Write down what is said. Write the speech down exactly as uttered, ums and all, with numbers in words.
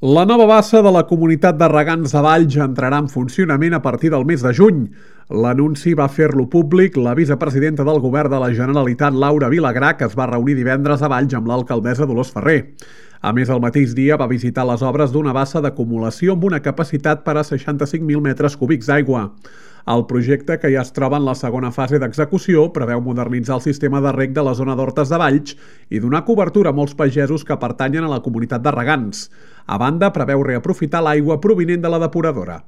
La nova bassa de la comunitat de regants de Valls entrarà en funcionament a partir del mes de juny. L'anunci va fer-lo públic la vicepresidenta del Govern de la Generalitat, Laura Vilagrà, que es va reunir divendres a Valls amb l'alcaldessa Dolors Ferrer. A més, el mateix dia va visitar les obres d'una bassa d'acumulació amb una capacitat per a seixanta-cinc mil metres cúbics d'aigua. El projecte, que ja es troba en la segona fase d'execució, preveu modernitzar el sistema de reg de la zona d'Hortes de Valls i donar cobertura a molts pagesos que pertanyen a la comunitat de regants. A banda, preveu reaprofitar l'aigua provinent de la depuradora.